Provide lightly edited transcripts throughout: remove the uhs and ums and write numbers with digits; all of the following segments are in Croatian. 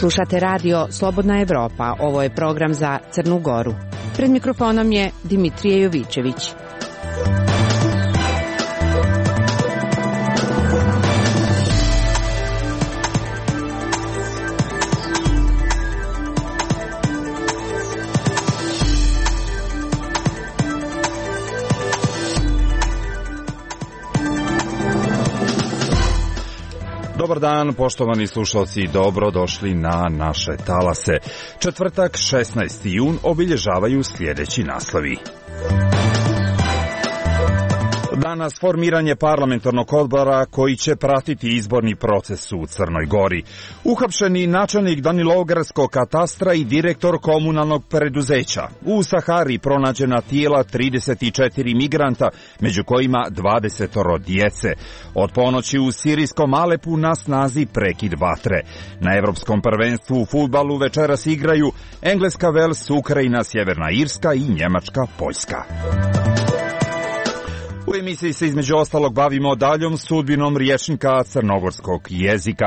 Slušate radio Slobodna Evropa. Ovo je program za Crnu Goru. Pred mikrofonom je Dimitrije Jovičević. Dobar dan, poštovani slušalci, dobro došli na naše talase. Četvrtak, 16. jun, obilježavaju sljedeći naslovi. Danas formiranje parlamentarnog odbora koji će pratiti izborni proces u Crnoj Gori. Uhapšeni načelnik Danilogarskog katastra i direktor komunalnog preduzeća. U Sahari pronađena tijela 34 migranta, među kojima 20 djece. Od ponoći u sirijskom Alepu na snazi prekid vatre. Na Evropskom prvenstvu u fudbalu večeras igraju Engleska, Vels, Ukrajina, Sjeverna Irska i Njemačka, Poljska. U emisiji se između ostalog bavimo daljom sudbinom rječnika crnogorskog jezika.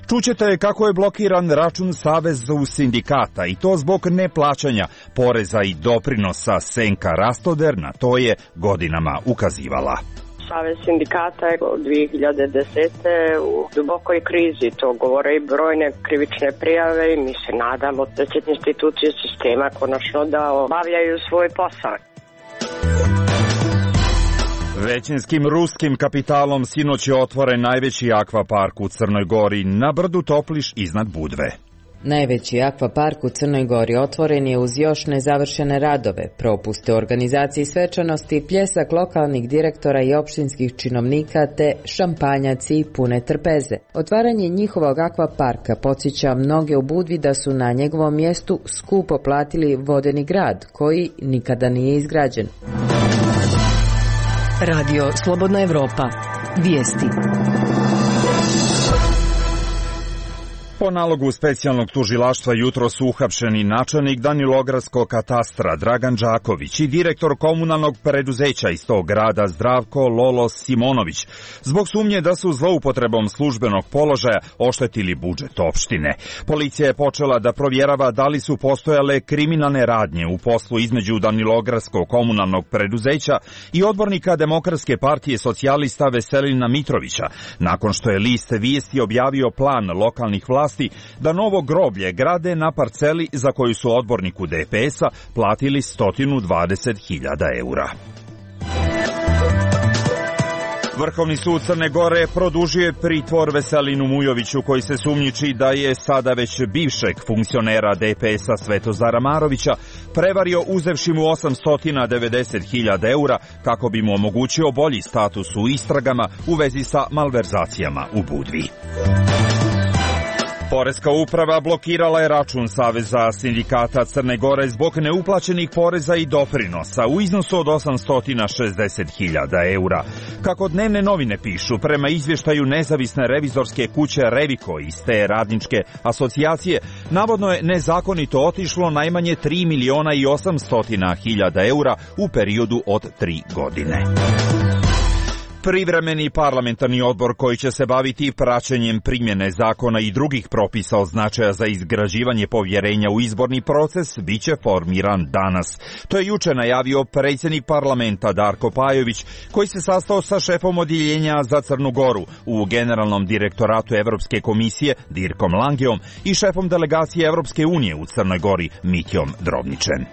Čućete kako je blokiran račun Savezu sindikata i to zbog neplaćanja poreza i doprinosa. Senka Rastoder na to je godinama ukazivala. Savez sindikata je od 2010. u dubokoj krizi, to govore i brojne krivične prijave i mi se nadamo da će institucije sistema konačno da obavljaju svoj posao. Većinskim ruskim kapitalom sinoć je otvoren najveći akvapark u Crnoj Gori na brdu Topliš iznad Budve. Najveći akvapark u Crnoj Gori otvoren je uz još nezavršene radove, propuste u organizaciji svečanosti, pljesak lokalnih direktora i opštinskih činovnika te šampanjaci pune trpeze. Otvaranje njihovog akvaparka podsjeća mnoge u Budvi da su na njegovom mjestu skupo platili vodeni grad, koji nikada nije izgrađen. Radio Slobodna Evropa. Vijesti. Po nalogu specijalnog tužilaštva jutro su uhapšeni načelnik Danilogarskog katastra Dragan Đaković i direktor komunalnog preduzeća iz tog grada Zdravko Lolo Simonović zbog sumnje da su zloupotrebom službenog položaja oštetili budžet opštine. Policija je počela da provjerava da li su postojale kriminalne radnje u poslu između Danilogarskog komunalnog preduzeća i odbornika Demokratske partije socijalista Veselina Mitrovića, nakon što je list Vijesti objavio plan lokalnih vlasti da novo groblje grade na parceli za koju su odborniku DPS-a platili 120.000 eura. Vrhovni sud Crne Gore produžuje pritvor Veselinu Mujoviću, koji se sumnjiči da je sada već bivšeg funkcionera DPS-a Svetozara Marovića prevario uzevši mu 890.000 eura kako bi mu omogućio bolji status u istragama u vezi sa malverzacijama u Budvi. Poreska uprava blokirala je račun Saveza sindikata Crne Gore zbog neuplaćenih poreza i doprinosa u iznosu od 860.000 eura. Kako dnevne novine pišu, prema izvještaju nezavisne revizorske kuće Reviko iz te radničke asocijacije, navodno je nezakonito otišlo najmanje 3.800.000 eura u periodu od 3 godine. Privremeni parlamentarni odbor koji će se baviti praćenjem primjene zakona i drugih propisa od značaja za izgrađivanje povjerenja u izborni proces biće formiran danas. To je juče najavio predsjednik parlamenta Darko Pajović, koji se sastao sa šefom odjeljenja za Crnu Goru u Generalnom direktoratu Evropske komisije Dirkom Langeom i šefom delegacije Evropske unije u Crnoj Gori Mitjom Drobničem.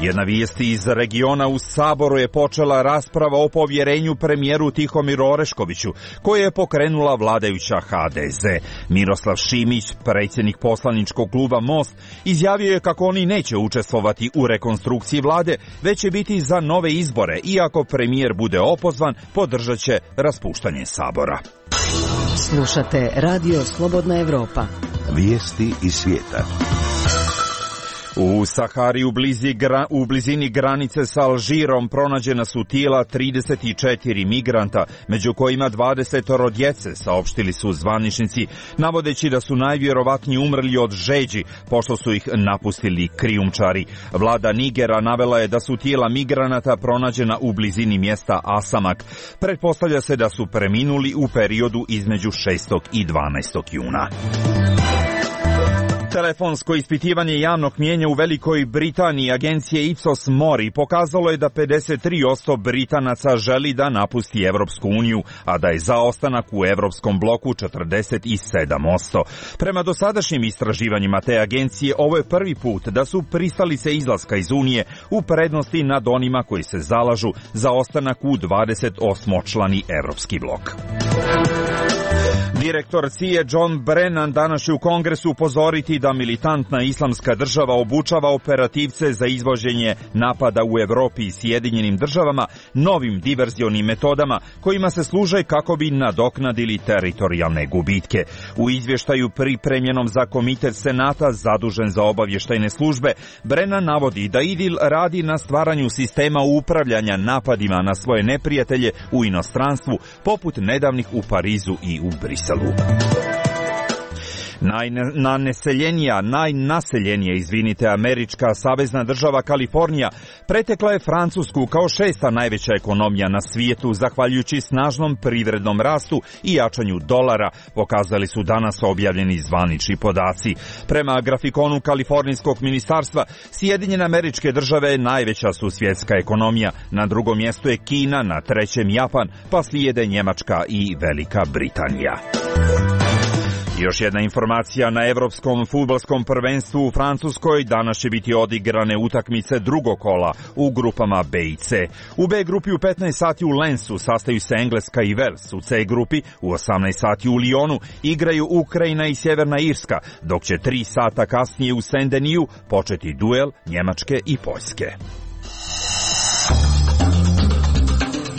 Jedna vijest iz regiona: u Saboru je počela rasprava o povjerenju premijeru Tihomiru Oreškoviću, koju je pokrenula vladajuća HDZ. Miroslav Šimić, predsjednik poslaničkog kluba Most, izjavio je kako oni neće učestvovati u rekonstrukciji vlade, već će biti za nove izbore i ako premijer bude opozvan, podržat će raspuštanje Sabora. Slušate Radio Slobodna Evropa. Vijesti iz svijeta. U Sahari u blizini granice sa Alžirom pronađena su tijela 34 migranta, među kojima 20 djece, saopštili su zvaničnici, navodeći da su najvjerovatnije umrli od žeđi, pošto su ih napustili krijumčari. Vlada Nigera navela je da su tijela migranata pronađena u blizini mjesta Asamak. Pretpostavlja se da su preminuli u periodu između 6. i 12. juna. Telefonsko ispitivanje javnog mnijenja u Velikoj Britaniji agencije Ipsos Mori pokazalo je da 53% Britanaca želi da napusti Evropsku uniju, a da je za ostanak u Evropskom bloku 47%. Prema dosadašnjim istraživanjima te agencije, ovo je prvi put da su pristalice izlaska iz Unije u prednosti nad onima koji se zalažu za ostanak u 28-člani Evropski blok. Direktor CIA John Brennan danas će u Kongresu upozoriti da militantna islamska država obučava operativce za izvođenje napada u Evropi i Sjedinjenim državama novim diverzionim metodama kojima se služe kako bi nadoknadili teritorijalne gubitke. U izvještaju pripremljenom za Komitet Senata zadužen za obavještajne službe, Brennan navodi da IDIL radi na stvaranju sistema upravljanja napadima na svoje neprijatelje u inostranstvu, poput nedavnih u Parizu i u Briselu. Najnaseljenija, američka savezna država Kalifornija pretekla je Francusku kao 6. najveća ekonomija na svijetu, zahvaljujući snažnom privrednom rastu i jačanju dolara, pokazali su danas objavljeni zvanični podaci. Prema grafikonu Kalifornijskog ministarstva, Sjedinjene Američke Države najveća su svjetska ekonomija, na drugom mjestu je Kina, na trećem Japan, pa slijede Njemačka i Velika Britanija. Još jedna informacija, na Evropskom fudbalskom prvenstvu u Francuskoj danas će biti odigrane utakmice drugog kola u grupama B i C. U B grupi u 15 sati u Lensu sastaju se Engleska i Wales. U C grupi u 18 sati u Lyonu igraju Ukrajina i Sjeverna Irska, dok će 3 sata kasnije u Saint-Denis početi duel Njemačke i Poljske.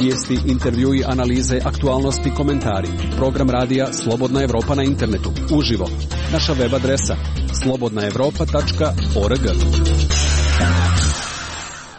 Vijesti, intervjui, analize, aktualnosti, komentari. Program radija Slobodna Evropa na internetu. Uživo. Naša web adresa slobodnaevropa.org.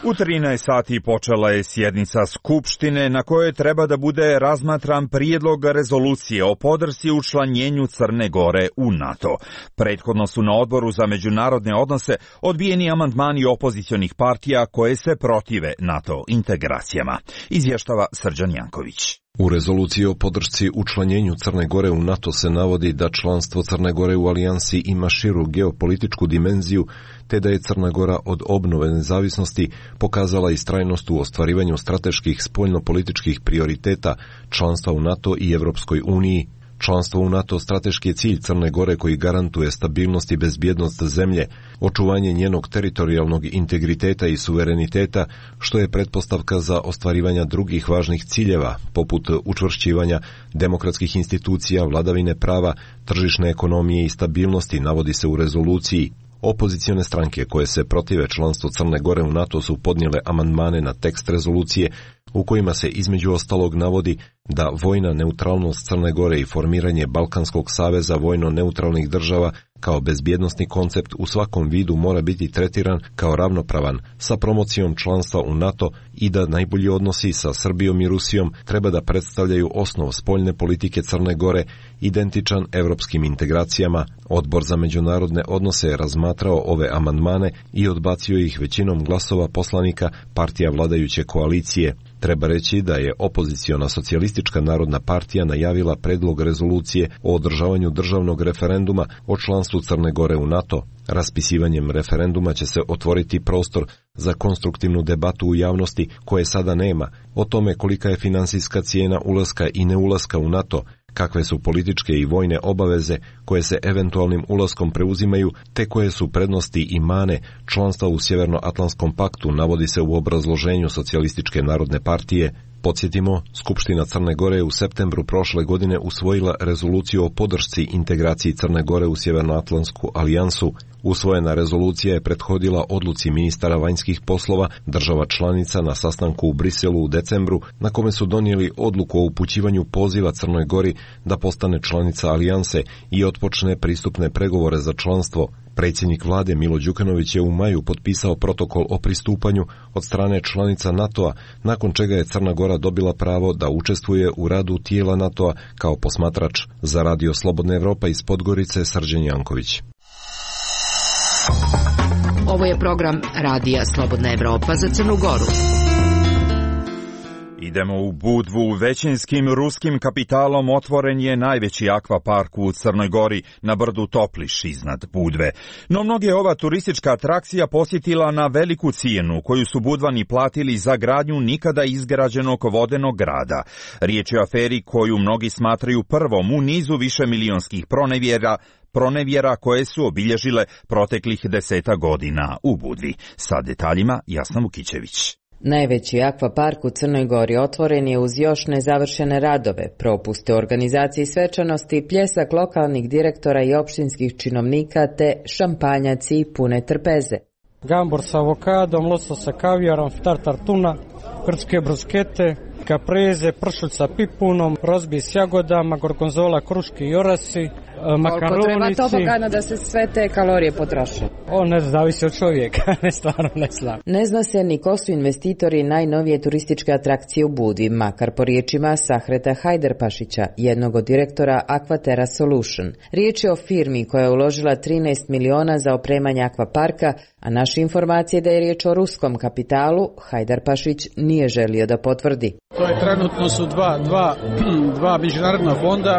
U 13 sati počela je sjednica Skupštine na kojoj treba da bude razmatran prijedlog rezolucije o podršci učlanjenju Crne Gore u NATO. Prethodno su na Odboru za međunarodne odnose odbijeni amandmani opozicionih partija koje se protive NATO integracijama. Izvještava Srđan Janković. U rezoluciji o podršci učlanjenju Crne Gore u NATO se navodi da članstvo Crne Gore u alijansi ima širu geopolitičku dimenziju, te da je Crna Gora od obnove nezavisnosti pokazala istrajnost u ostvarivanju strateških spoljnopolitičkih prioriteta članstva u NATO i Evropskoj uniji. Članstvo u NATO strateški je cilj Crne Gore koji garantuje stabilnost i bezbjednost zemlje, očuvanje njenog teritorijalnog integriteta i suvereniteta, što je pretpostavka za ostvarivanje drugih važnih ciljeva, poput učvršćivanja demokratskih institucija, vladavine prava, tržišne ekonomije i stabilnosti, navodi se u rezoluciji. Opozicione stranke koje se protive članstvu Crne Gore u NATO su podnijele amandmane na tekst rezolucije u kojima se između ostalog navodi da vojna neutralnost Crne Gore i formiranje Balkanskog saveza vojno-neutralnih država kao bezbjednosni koncept u svakom vidu mora biti tretiran kao ravnopravan sa promocijom članstva u NATO i da najbolji odnosi sa Srbijom i Rusijom treba da predstavljaju osnov spoljne politike Crne Gore identičan evropskim integracijama. Odbor za međunarodne odnose je razmatrao ove amandmane i odbacio ih većinom glasova poslanika partija vladajuće koalicije. Treba reći da je opoziciona Socijalistička narodna partija najavila predlog rezolucije o održavanju državnog referenduma o članstvu Crne Gore u NATO. Raspisivanjem referenduma će se otvoriti prostor za konstruktivnu debatu u javnosti koje sada nema, o tome kolika je finansijska cijena ulaska i neulaska u NATO, kakve su političke i vojne obaveze koje se eventualnim ulaskom preuzimaju, te koje su prednosti i mane članstva u Sjevernoatlantskom paktu, navodi se u obrazloženju Socijalističke narodne partije. Podsjetimo, Skupština Crne Gore u septembru prošle godine usvojila rezoluciju o podršci integraciji Crne Gore u Sjevernoatlantsku alijansu. Usvojena rezolucija je prethodila odluci ministara vanjskih poslova država članica na sastanku u Briselu u decembru, na kome su donijeli odluku o upućivanju poziva Crnoj Gori da postane članica alijanse i otpočne pristupne pregovore za članstvo. Predsjednik vlade Milo Đukanović je u maju potpisao protokol o pristupanju od strane članica NATO-a, nakon čega je Crna Gora dobila pravo da učestvuje u radu tijela NATO-a kao posmatrač. Za Radio Slobodna Evropa iz Podgorice, Srđan Janković. Ovo je program Radija Slobodna Evropa za Crnu Goru. Idemo u Budvu. Većinskim ruskim kapitalom otvoren je najveći akvapark u Crnoj Gori na brdu Topliš iznad Budve. No mnoge ova turistička atrakcija posjetila na veliku cijenu koju su Budvani platili za gradnju nikada izgrađenog vodenog grada. Riječ je o aferi koju mnogi smatraju prvom u nizu višemilionskih pronevjera koje su obilježile proteklih 10 godina u Budvi. Sa detaljima Jasna Vukićević. Najveći akvapark u Crnoj Gori otvoren je uz još nezavršene radove, propuste u organizaciji svečanosti, pljesak lokalnih direktora i opštinskih činovnika te šampanjaci pune trpeze. Gambor sa avokadom, losos sa kavijarom, tartar tuna, grčke bruskete, kapreze, pršulj sa pipunom, rozbi s jagodama, gorgonzola, kruške i orasi, makaronici. Koliko treba tobogana da se sve te kalorije potroše? Ne zavisi od čovjeka, stvarno ne znam. Ne zna se ni ko su investitori najnovije turističke atrakcije u Budvi, makar po riječima Sahreta Hajderpašića, jednog od direktora Aquaterra Solution. Riječ je o firmi koja je uložila 13 miliona za opremanje akvaparka, a naše informacije da je riječ o ruskom kapitalu, Hajderpašić nije želio da potvrdi. To je trenutno su dva međunarodna fonda,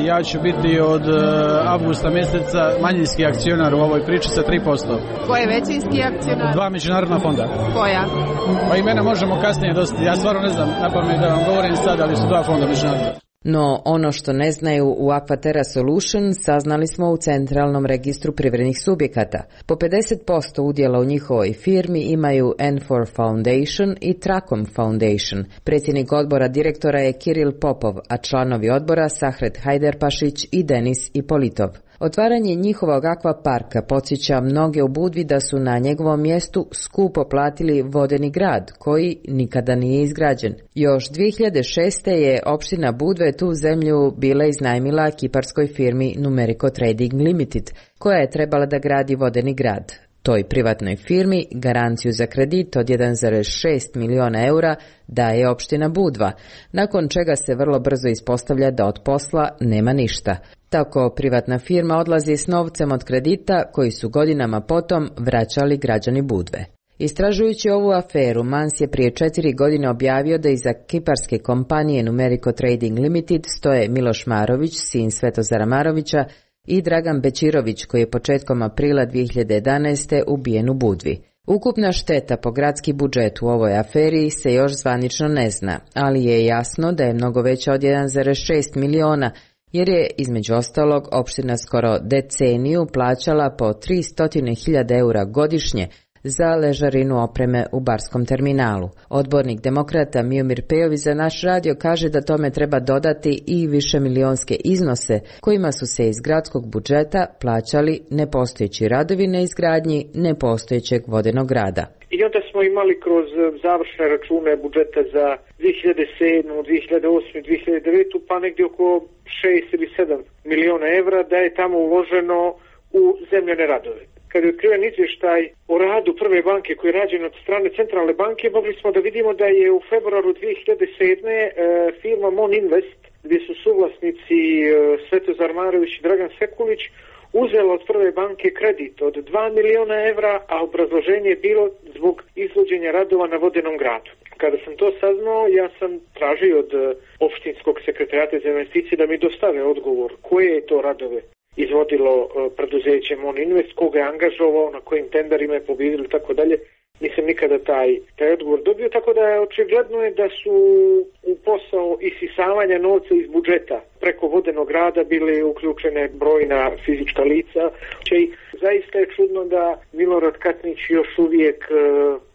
ja ću biti od avgusta mjeseca manjinski akcionar u ovoj priči sa 3%. Ko je većinski akcionar? Dva međunarodna fonda. Koja? Pa imena možemo kasnije dostati, ja stvarno ne znam napamet da vam govorim sad, ali su dva fonda međunarodna. No, ono što ne znaju u Aquaterra Solution saznali smo u Centralnom registru privrednih subjekata. Po 50% udjela u njihovoj firmi imaju N4 Foundation i Tracom Foundation. Predsjednik odbora direktora je Kiril Popov, a članovi odbora Sahret Hajderpašić i Denis Ipolitov. Otvaranje njihovog akvaparka podsjeća mnoge u Budvi da su na njegovom mjestu skupo platili vodeni grad, koji nikada nije izgrađen. Još 2006. je opština Budve tu zemlju bila iznajmila kiparskoj firmi Numerico Trading Limited, koja je trebala da gradi vodeni grad. Toj privatnoj firmi garanciju za kredit od 1,6 miliona eura daje opština Budva, nakon čega se vrlo brzo ispostavlja da od posla nema ništa. Tako privatna firma odlazi s novcem od kredita koji su godinama potom vraćali građani Budve. Istražujući ovu aferu, Mans je prije 4 godine objavio da iza kiparske kompanije Numerico Trading Limited stoje Miloš Marović, sin Svetozara Marovića, i Dragan Bečirović, koji je početkom aprila 2011. ubijen u Budvi. Ukupna šteta po gradski budžet u ovoj aferi se još zvanično ne zna, ali je jasno da je mnogo veća od 1,6 miliona, jer je, između ostalog, opština skoro deceniju plaćala po 300.000 eura godišnje za ležarinu opreme u barskom terminalu. Odbornik demokrata Miomir Pejović za naš radio kaže da tome treba dodati i višemilionske iznose kojima su se iz gradskog budžeta plaćali nepostojeći radovi na izgradnji nepostojećeg vodenog grada. I onda smo imali kroz završne račune budžeta za 2007, 2008, 2009, pa negdje oko 6 ili 7 miliona evra da je tamo uloženo u zemljane radove. Kad je otkriven izvještaj o radu prve banke koji je rađen od strane centralne banke, mogli smo da vidimo da je u februaru 2007. firma Mon Invest, gdje su suvlasnici Svetozar Marović i Dragan Sekulić, uzela od prve banke kredit od 2 miliona evra, a obrazloženje je bilo zbog izvođenja radova na vodenom gradu. Kada sam to saznao, ja sam tražio od opštinskog sekretarijata za investicije da mi dostave odgovor koje je to radove izvodilo preduzeće Mon Invest, koga je angažovao, na kojim tenderima je pobjedilo i tako dalje. Nisam nikada taj odgovor dobio, tako da je očigledno je da su u posao isisavanja novca iz budžeta preko vodenog grada bile uključene brojna fizička lica. Zaista je čudno da Milorad Katnić još uvijek,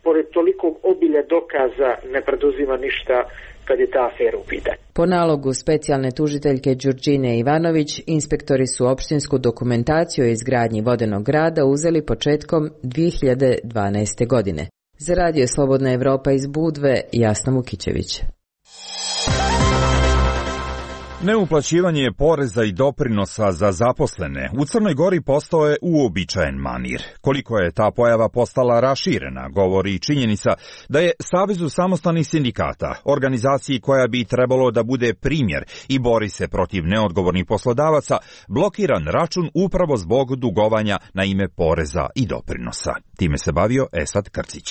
pored tolikog obilja dokaza, ne preduzima ništa kad je ta afera u pitanju. Po nalogu specijalne tužiteljke Đurđine Ivanović, inspektori su opštinsku dokumentaciju o izgradnji vodenog grada uzeli početkom 2012. godine. Za Radio Slobodna Evropa iz Budve, Jasna Mukićević. Neuplaćivanje poreza i doprinosa za zaposlene u Crnoj Gori postao je uobičajen manir. Koliko je ta pojava postala raširena, govori i činjenica da je Savezu samostalnih sindikata, organizaciji koja bi trebalo da bude primjer i bori se protiv neodgovornih poslodavaca, blokiran račun upravo zbog dugovanja na ime poreza i doprinosa. Time se bavio Esad Krcić.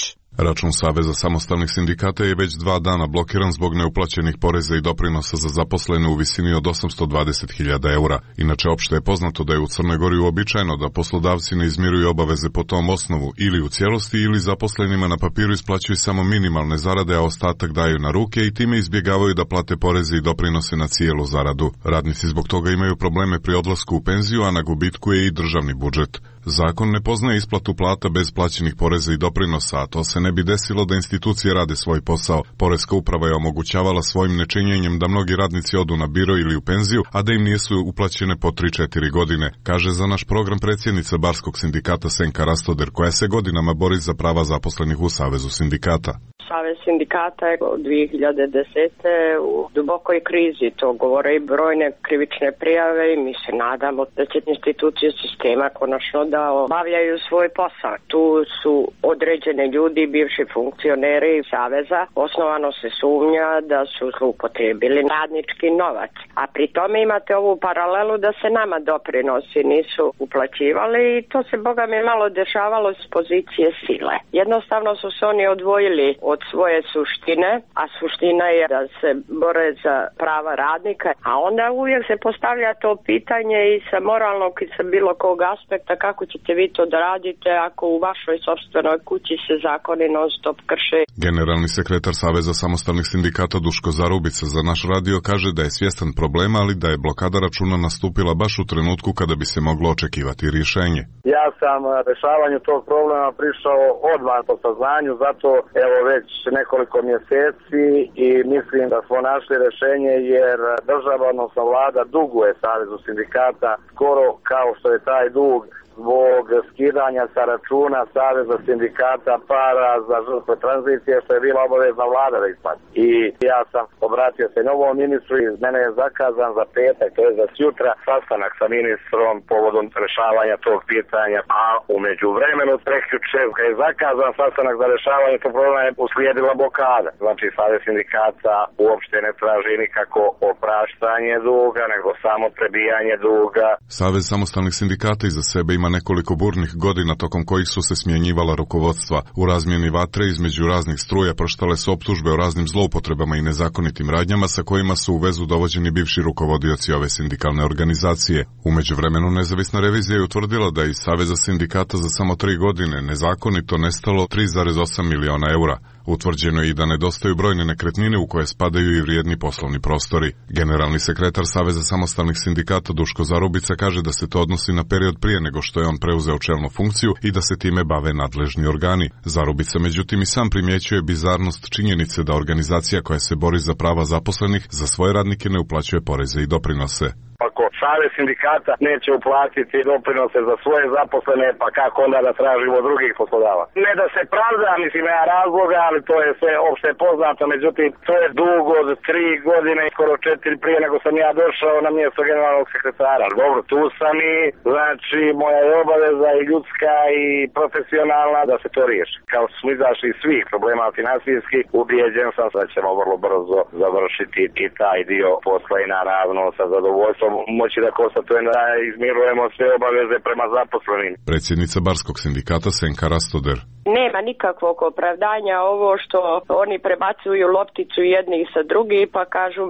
Račun Saveza samostalnih sindikata je već 2 dana blokiran zbog neuplaćenih poreza i doprinosa za zaposlene u visini od 820.000 eura. Inače, opšte je poznato da je u Crnoj Gori uobičajeno da poslodavci ne izmiruju obaveze po tom osnovu ili u cijelosti ili zaposlenima na papiru isplaćuju samo minimalne zarade, a ostatak daju na ruke i time izbjegavaju da plate poreze i doprinose na cijelu zaradu. Radnici zbog toga imaju probleme pri odlasku u penziju, a na gubitku je i državni budžet. Zakon ne poznaje isplatu plata bez plaćenih poreza i doprinosa, a to se ne bi desilo da institucije rade svoj posao. Poreska uprava je omogućavala svojim nečinjenjem da mnogi radnici odu na biro ili u penziju, a da im nisu uplaćene po 3-4 godine, kaže za naš program predsjednica Barskog sindikata Senka Rastoder, koja se godinama bori za prava zaposlenih u Savezu sindikata. Savez sindikata je od 2010. u dubokoj krizi, to govore i brojne krivične prijave i mi se nadamo da će institucije sistema konačno da obavljaju svoj posao. Tu su određene ljudi, bivši funkcioneri Saveza, osnovano se sumnja da su zloupotrijebili radnički novac. A pri tome imate ovu paralelu da se nama doprinosi nisu uplaćivali i to se boga mi malo dešavalo s pozicije sile. Jednostavno su se oni odvojili od svoje suštine, a suština je da se bore za prava radnika, a onda uvijek se postavlja to pitanje i sa moralnog i sa bilo kog aspekta kako ćete vi to da radite ako u vašoj sopstvenoj kući se zakoni non stop krše. Generalni sekretar Saveza samostalnih sindikata Duško Zarubica za naš radio kaže da je svjestan problema, ali da je blokada računa nastupila baš u trenutku kada bi se moglo očekivati rješenje. Ja sam rješavanju tog problema prišao odmah po saznanju, zato evo već nekoliko mjeseci i mislim da smo našli rješenje jer država, odnosno vlada, duguje Savezu sindikata skoro kao što je taj dug zbog skidanja sa računa Saveza sindikata para za žrtve tranzicije, što je bila obavezna vlada da isplati. I ja sam obratio se novom ministru i mene je zakazan za petak, to je za sutra, sastanak sa ministrom povodom rješavanja tog pitanja, a u međuvremenu prekjuče je zakazan sastanak za rješavanje tog problema je uslijedila blokada. Znači Savez sindikata uopšte ne traži nikako opraštanje duga, nego samo prebijanje duga. Savez samostalnih sindikata iza sebe ima nekoliko burnih godina tokom kojih su se smjenjivala rukovodstva. U razmjeni vatre između raznih struja proštale su optužbe o raznim zloupotrebama i nezakonitim radnjama sa kojima su u vezu dovođeni bivši rukovodioci ove sindikalne organizacije. U međuvremenu nezavisna revizija je utvrdila da iz Saveza sindikata za samo 3 godine nezakonito nestalo 3,8 miliona eura. Utvrđeno je i da nedostaju brojne nekretnine u koje spadaju i vrijedni poslovni prostori. Generalni sekretar Saveza samostalnih sindikata Duško Zarubica kaže da se to odnosi na period prije nego što je on preuzeo čelnu funkciju i da se time bave nadležni organi. Zarubica međutim i sam primjećuje bizarnost činjenice da organizacija koja se bori za prava zaposlenih za svoje radnike ne uplaćuje poreze i doprinose. Ako Savez sindikata neće uplatiti doprinose za svoje zaposlene, pa kako onda da tražimo drugih poslodavaca? Ne da se pravda, mislim, ja razloga, ali to je sve opšte poznato, međutim, to je dug od 3 godine, skoro 4 prije nego sam ja došao na mjesto generalnog sekretara. Dobro, tu sam i, znači, moja je obaveza i ljudska i profesionalna da se to riješi. Kao smo izašli iz svih problema finansijski, ubijeđen sam da ćemo vrlo brzo završiti i taj dio posla i naravno sa zadovoljstvom moći da konstatujem da izmirujemo sve obaveze prema zaposlenim. Predsjednica Barskog sindikata Senka Rastoder. Nema nikakvog opravdanja ovo što oni prebacuju lopticu jednih sa drugih pa kažu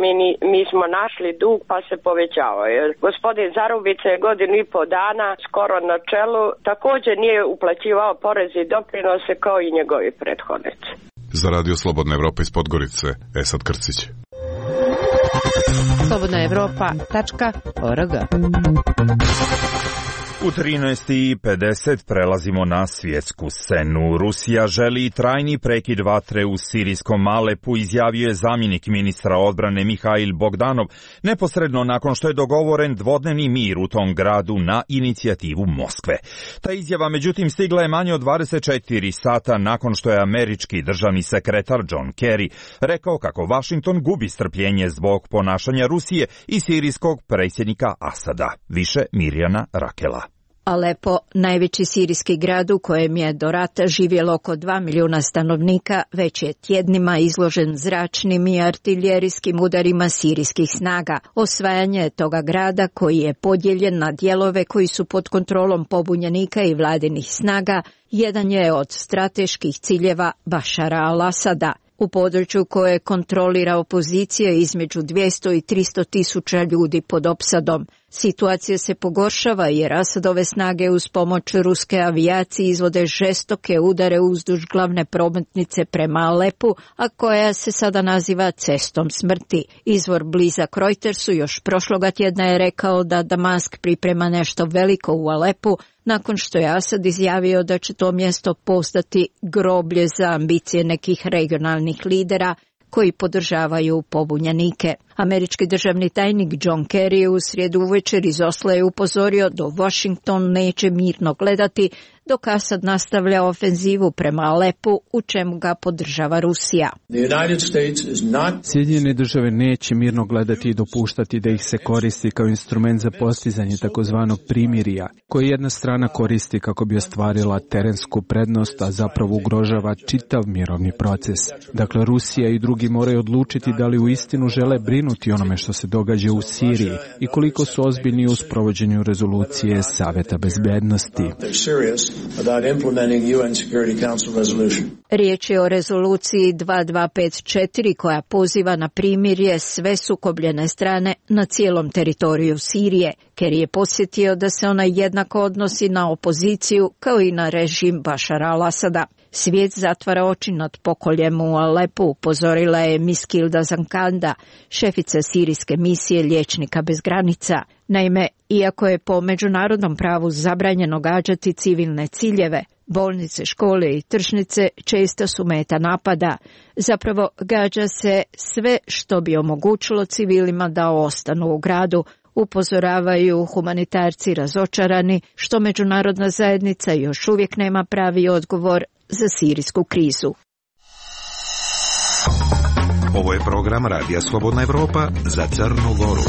mi smo našli dug pa se povećavao. Gospodin Zarubica je 1,5 dana skoro na čelu, također nije uplaćivao poreze i doprinose kao i njegovi prethodnici. Za Radio Slobodna Evropa iz Podgorice, Esad Krcić. Slobodna Evropa.org U 13:50 prelazimo na svjetsku scenu. Rusija želi trajni prekid vatre u sirijskom Alepu, izjavio je zamjenik ministra odbrane Mihail Bogdanov, neposredno nakon što je dogovoren dvodnevni mir u tom gradu na inicijativu Moskve. Ta izjava međutim stigla je manje od 24 sata nakon što je američki državni sekretar John Kerry rekao kako Washington gubi strpljenje zbog ponašanja Rusije i sirijskog predsjednika Asada. Više Mirjana Rakela. Alepo, najveći sirijski grad u kojem je do rata živjelo oko 2 milijuna stanovnika, već je tjednima izložen zračnim i artiljerijskim udarima sirijskih snaga. Osvajanje toga grada, koji je podijeljen na dijelove koji su pod kontrolom pobunjenika i vladinih snaga, jedan je od strateških ciljeva Bašara al-Asada. U području koje kontrolira opozicija između 200 i 300 tisuća ljudi pod opsadom. Situacija se pogoršava jer Asadove snage uz pomoć ruske avijacije izvode žestoke udare uzduž glavne prometnice prema Alepu, a koja se sada naziva cestom smrti. Izvor blizak Reutersu još prošloga tjedna je rekao da Damask priprema nešto veliko u Alepu, nakon što je Asad izjavio da će to mjesto postati groblje za ambicije nekih regionalnih lidera koji podržavaju pobunjenike. Američki državni tajnik John Kerry u srijedu uvečer iz Osla je upozorio da Washington neće mirno gledati dok Asad nastavlja ofenzivu prema Alepu, u čemu ga podržava Rusija. Sjedinjene države neće mirno gledati i dopuštati da ih se koristi kao instrument za postizanje takozvanog primirja, koje jedna strana koristi kako bi ostvarila terensku prednost, a zapravo ugrožava čitav mirovni proces. Dakle, Rusija i drugi moraju odlučiti da li uistinu žele brinuti onome što se događa u Siriji i koliko su ozbiljni u sprovođenju rezolucije Saveta bezbednosti. Riječ je o rezoluciji 2254 koja poziva na primirje sve sukobljene strane na cijelom teritoriju Sirije. Kerry je podsjetio da se ona jednako odnosi na opoziciju kao i na režim Bašara al-Asada. Svijet zatvara oči nad pokoljem u Alepu, upozorila je Miskilda Zankanda, šefica sirijske misije Liječnika bez granica. Naime, iako je po međunarodnom pravu zabranjeno gađati civilne ciljeve, bolnice, škole i tržnice često su meta napada. Zapravo gađa se sve što bi omogućilo civilima da ostanu u gradu, upozoravaju humanitarci razočarani što međunarodna zajednica još uvijek nema pravi odgovor za sirijsku krizu. Ovo je program Radija Slobodna Evropa za Crnu Goru.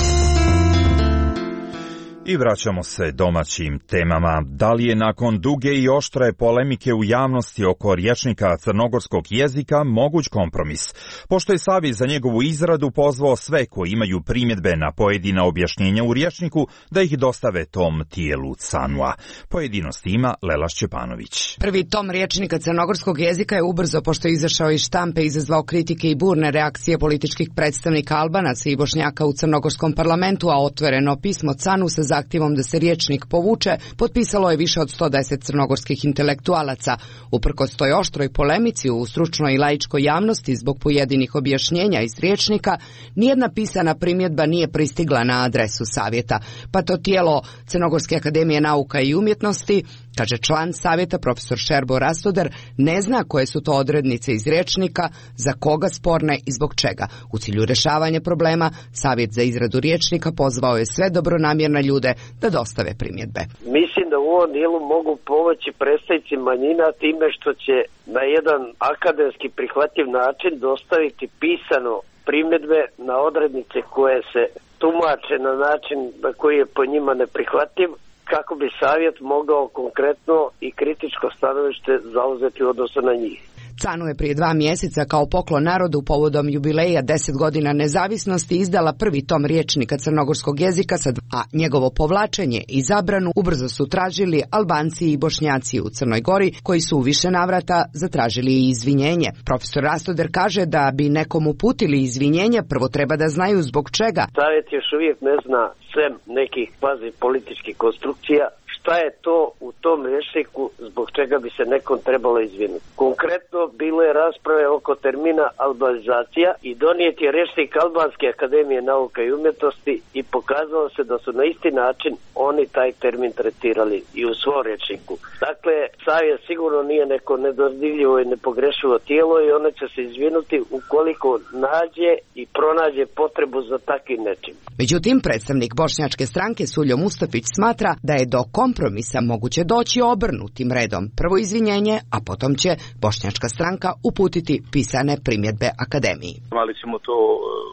I vraćamo se domaćim temama. Da li je nakon duge i oštre polemike u javnosti oko rječnika crnogorskog jezika moguć kompromis? Pošto je Savjet za njegovu izradu pozvao sve koji imaju primjedbe na pojedina objašnjenja u rječniku da ih dostave tom tijelu CANU-a. Pojedinosti ima Lela Šćepanović. Prvi tom rječnika crnogorskog jezika je ubrzo, pošto je izašao iz štampe, izazvao kritike i burne reakcije političkih predstavnika Albanaca i Bošnjaka u crnogorskom parlamentu, a otvoreno pismo CANU sa zahtjevom da se rječnik povuče potpisalo je više od 110 crnogorskih intelektualaca. Uprkos toj oštroj polemici u stručnoj i laičkoj javnosti zbog pojedinih objašnjenja iz rječnika, nijedna pisana primjedba nije pristigla na adresu savjeta. Pa to tijelo Crnogorske akademije nauka i umjetnosti, kaže član savjeta profesor Šerbo Rastoder, ne zna koje su to odrednice iz rječnika, za koga sporne i zbog čega. U cilju rješavanja problema, savjet za izradu rječnika pozvao je sve dobronamjerne ljude da dostave primjedbe. Mislim da u ovom dijelu mogu pomoći predstavnici manjina time što će na jedan akademski prihvatljiv način dostaviti pisano primjedbe na odrednice koje se tumače na način na koji je po njima neprihvatljiv, kako bi savjet mogao konkretno i kritičko stanovište zauzeti u odnosu na njih. CANU je prije 2 mjeseca kao poklon narodu povodom jubileja 10 godina nezavisnosti izdala prvi tom rječnika crnogorskog jezika, a njegovo povlačenje i zabranu ubrzo su tražili Albanci i Bošnjaci u Crnoj Gori, koji su u više navrata zatražili i izvinjenje. Profesor Rastoder kaže da bi nekom uputili izvinjenje, prvo treba da znaju zbog čega. Savjet još uvijek ne zna sem nekih kvazi političkih konstrukcija šta je to u tom rječniku zbog čega bi se nekom trebalo izvinuti. Konkretno bilo je rasprave oko termina albanizacija i donijet je rječnik Albanske akademije nauka i umjetnosti i pokazalo se da su na isti način oni taj termin tretirali i u svom rječniku. Dakle, savjet sigurno nije neko nedodirljivo i nepogrešivo tijelo i ono će se izvinuti ukoliko nađe i pronađe potrebu za takvim nečim. Međutim, predstavnik bošnjačke stranke Suljo Mustafić smatra da je do kompromisa moguće doći obrnutim redom. Prvo izvinjenje, a potom će bošnjačka stranka uputiti pisane primjedbe akademiji. Ali ćemo to,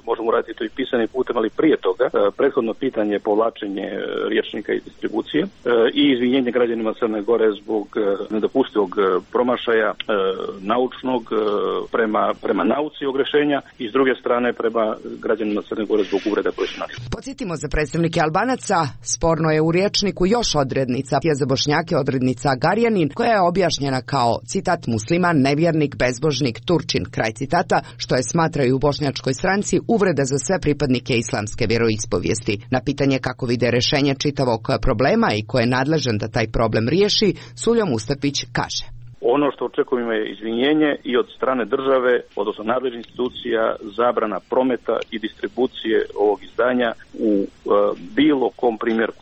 možemo raditi to i pisanim putem, ali prije toga prethodno pitanje povlačenje rječnika i distribucije i izvinjenje građanima Crne Gore zbog nedopustivog promašaja naučnog prema nauci ogrešenja i s druge strane prema građanima Crne Gore zbog uvreda koje su našli. Podsjetimo za predstavnike Albanaca, sporno je u rječniku još odrednica, je za Bošnjake odrednica Garjanin, koja je objašnjena kao, citat, musliman, nevjernik, bezbožnik, Turčin, kraj citata, što je, smatraju u bošnjačkoj stranci, uvreda za sve pripadnike islamske vjeroispovijesti. Na pitanje kako vide rješenje čitavog problema i ko je nadležan da taj problem riješi, Suljo Mustafić kaže. Ono što očekujemo je izvinjenje i od strane države, odnosno nadležnih institucija, zabrana prometa i distribucije ovog izdanja u bilo kom primjeru.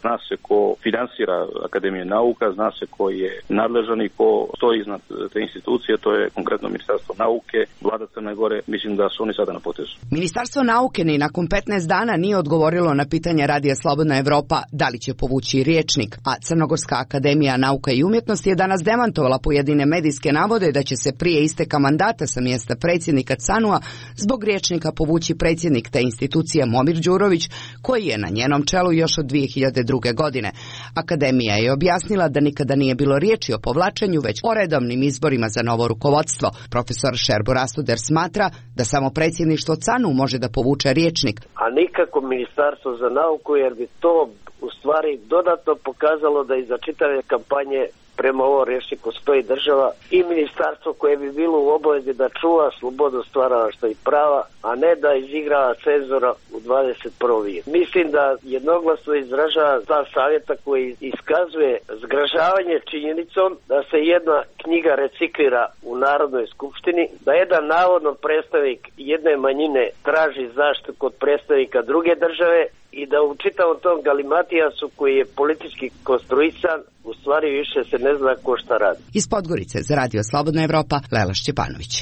Zna se ko finansira Akademije nauka, zna se ko je nadležan i ko stoji iznad te institucije, to je konkretno Ministarstvo nauke, Vlada Crne Gore, mislim da su oni sada na potezu. Ministarstvo nauke ni nakon 15 dana nije odgovorilo na pitanje Radija Slobodna Evropa da li će povući rječnik, a Crnogorska akademija nauka i umjetnosti je danas demantovala pojedine medijske navode da će se prije isteka mandata sa mjesta predsjednika CANU-a zbog rječnika povući predsjednik te institucije Momir Đurović, koji je na njenom čelu još od 2002. godine. Akademija je objasnila da nikada nije bilo riječi o povlačenju, već o redovnim izborima za novo rukovodstvo. Profesor Šerbo Rastuder smatra da samo predsjedništvo CANU može da povuče rječnik. A nikako Ministarstvo za nauku, jer bi to u stvari dodatno pokazalo da iza čitave kampanje prema ovom rječniku stoji država i ministarstvo koje bi bilo u obavezi da čuva slobodu stvaralaštva i prava, a ne da izigrava cenzora u 21. vijeku. Mislim da jednoglasno izražava ta savjeta koji iskazuje zgražavanje činjenicom da se jedna knjiga reciklira u Narodnoj skupštini, da jedan navodno predstavnik jedne manjine traži zaštitu kod predstavnika druge države i da u čitavom tom galimatijasu koji je politički konstruisan, u stvari više se ne zna ko šta radi. Iz Podgorice za Radio Slobodna Evropa, Lela Šćepanović.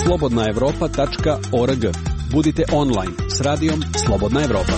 slobodnaevropa.org. Budite online s radijom Slobodna Evropa.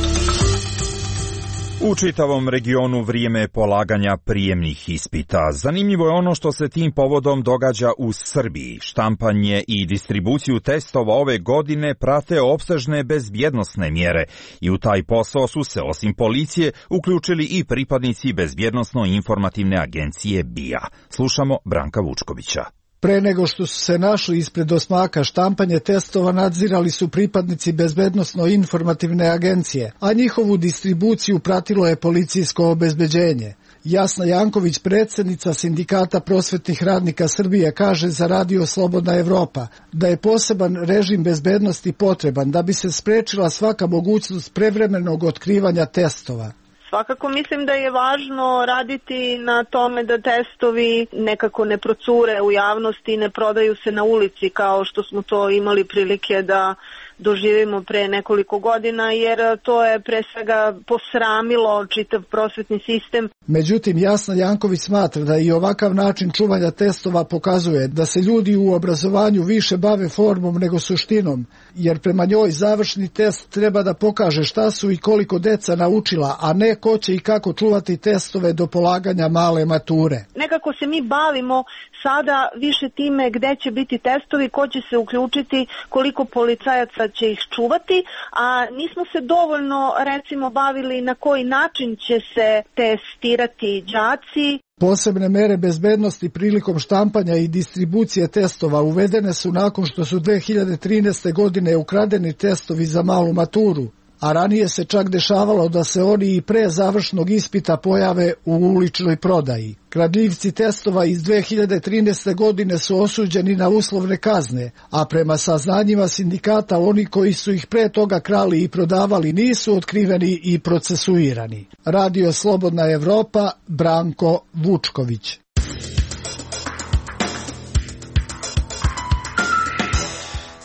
U čitavom regionu vrijeme je polaganja prijemnih ispita. Zanimljivo je ono što se tim povodom događa u Srbiji. Štampanje i distribuciju testova ove godine prate opsežne bezbjednosne mjere i u taj posao su se osim policije uključili i pripadnici bezbjednosno-informativne agencije BIA. Slušamo Branka Vučkovića. Pre nego što su se našli ispred osmaka štampanje testova nadzirali su pripadnici bezbednosno-informativne agencije, a njihovu distribuciju pratilo je policijsko obezbeđenje. Jasna Janković, predsjednica Sindikata prosvetnih radnika Srbije, kaže za Radio Slobodna Evropa da je poseban režim bezbednosti potreban da bi se sprečila svaka mogućnost prevremenog otkrivanja testova. Svakako mislim da je važno raditi na tome da testovi nekako ne procure u javnosti i ne prodaju se na ulici kao što smo to imali prilike da doživimo pre nekoliko godina, jer to je pre svega posramilo čitav prosvetni sistem. Međutim, Jasna Janković smatra da i ovakav način čuvanja testova pokazuje da se ljudi u obrazovanju više bave formom nego suštinom, jer prema njoj završni test treba da pokaže šta su i koliko deca naučila, a ne ko će i kako čuvati testove do polaganja male mature. Nekako se mi bavimo sada više time gde će biti testovi, ko će se uključiti, koliko policajaca će ih čuvati, a nismo se dovoljno recimo bavili na koji način će se testirati đaci. Posebne mere bezbednosti prilikom štampanja i distribucije testova uvedene su nakon što su 2013. godine ukradeni testovi za malu maturu, a ranije se čak dešavalo da se oni i pre završnog ispita pojave u uličnoj prodaji. Kradljivci testova iz 2013. godine su osuđeni na uslovne kazne, a prema saznanjima sindikata oni koji su ih pre toga krali i prodavali nisu otkriveni i procesuirani. Radio Slobodna Evropa, Branko Vučković.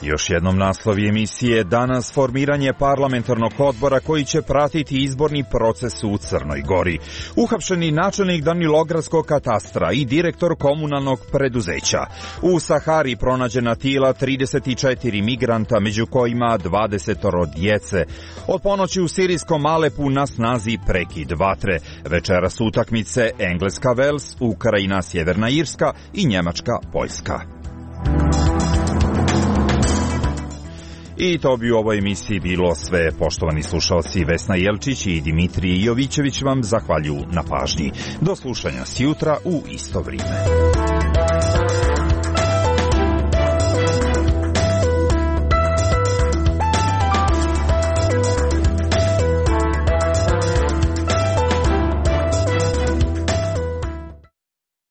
Još jednom naslovi emisije danas formiranje parlamentarnog odbora koji će pratiti izborni proces u Crnoj Gori. Uhapšeni načelnik Danilogradskog katastra i direktor komunalnog preduzeća. U Sahari pronađena tijela 34 migranta, među kojima 20 djece. Od ponoći u sirijskom Alepu na snazi prekid vatre. Večeras utakmice Engleska-Vels, Ukrajina-Sjeverna Irska i Njemačka-Poljska. I to bi u ovoj emisiji bilo sve. Poštovani slušalci, Vesna Jelčić i Dimitrij Jovićević vam zahvaljuju na pažnji. Do slušanja sjutra u isto vrijeme.